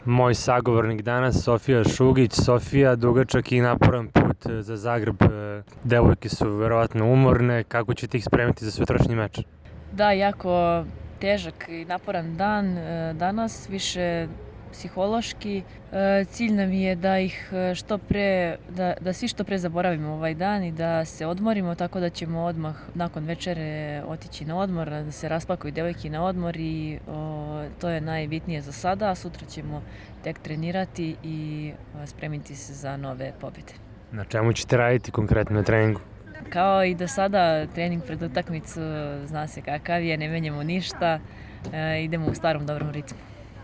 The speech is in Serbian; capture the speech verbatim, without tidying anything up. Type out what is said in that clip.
Moj sagovornik danas, Sofija Šugić. Sofija, dugačak i naporan put za Zagreb. Devojke su verovatno umorne. Kako ćete ih spremiti za sutrašnji meč? Da, jako težak i naporan dan danas, više psihološki. Cilj nam je da ih što pre, da, da svi što pre zaboravimo ovaj dan i da se odmorimo, tako da ćemo odmah nakon večere otići na odmor, da se raspakuju devojke na odmor i o, to je najbitnije za sada. Sutra ćemo tek trenirati i spremiti se za nove pobjede. Na čemu ćete raditi konkretno na treningu? Kao i do sada, trening pred utakmicu zna se kakav je, ne menjamo ništa, idemo u starom dobrom ritmu.